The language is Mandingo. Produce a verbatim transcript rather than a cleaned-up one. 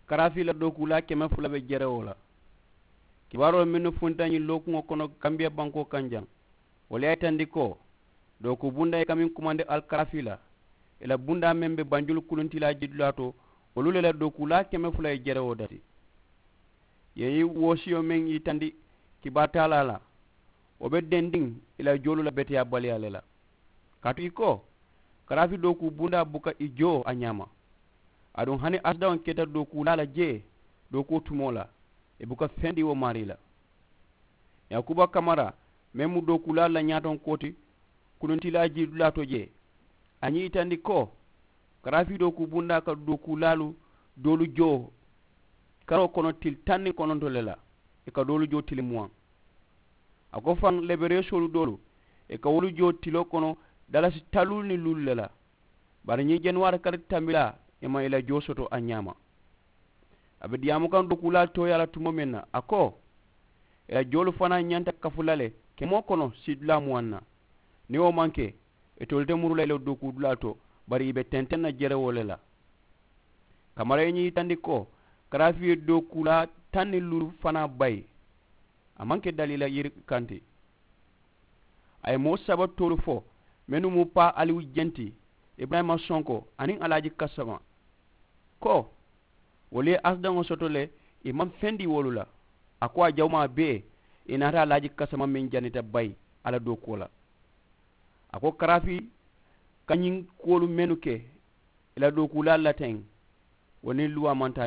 Karaafi la dookuulaa keme fula be jerewoo la. Kibaaroo mennu funta ñiŋ lookuŋo kono kambiya bankoo kaŋ jaŋ, wolu ye a yitandi ko dookuu bundaa ye kamiŋ kumandi ali karaafi la, ì la bundaa meŋ be banjulu kuluntilaa jidulaa to, wolu le la dookuulaa keme fula ye jerewoo dati. Ì ye ñiŋ woosiyo meŋ yitandi kibaa taalaa la, wo be dendiŋ ì la joolu la beteyaabaliyaa le la. Kaatu ì ko karaafi dookuu bundaa buka ì joo a ñaama. Aduŋ hani asidaŋo keta dookuulaa la jee dookuwo tumoo la, ì buka fendi wo maarii la. Yaakuba kamara meŋ mu dookuulaalu la ñaatonkoo ti, kununtilaa jiidulaa to jee, a ñiŋ yitandi ko karaafi dookuu bundaa ka dookuulaalu doolu joo karoo kono tili taŋ niŋ kononto le la. Ì ka doolu joo tili muwaŋ. A ko faŋ lebereesoolu doolu ì ka wolu joo tiloo kono dalasi taluulu niŋ luulu le la. Bari ñiŋ januwaari kari tambilaa ì maŋ ì la joo soto a ñaama. A be diyaamu kaŋ dookuulaalu tooyaa la tumoo meŋ na a ko ì la joolu fanaa ñanta kafu la le kemoo kono siidulaa muwaŋ na. Niŋ wo maŋ ke ì tolu te muru la ì la dookuudulaa to, bari ì be tenteŋ na jerewoo le la. Kamara ye ñiŋ yitandi ko karaafi ye dookuulaa taŋ niŋ luulu fanaa bayi. A maŋ ke daliila yiri kaŋ ti. A ye moo saba toolu fo mennu mu paa aliwu jenti, iburayima sonko aniŋ alaaji kasama, ko wolu ye asidaŋo soto le. Ì maŋ fendi wolu la. A ko a jawumaa bee ì naata alaaji kasama meŋ janita bayi alla dookuwo la. A ko karaafi ka ñiŋ kuwolu mennu ke ì la dookuulaalu la teŋ, wo niŋ luwaa maŋ taa.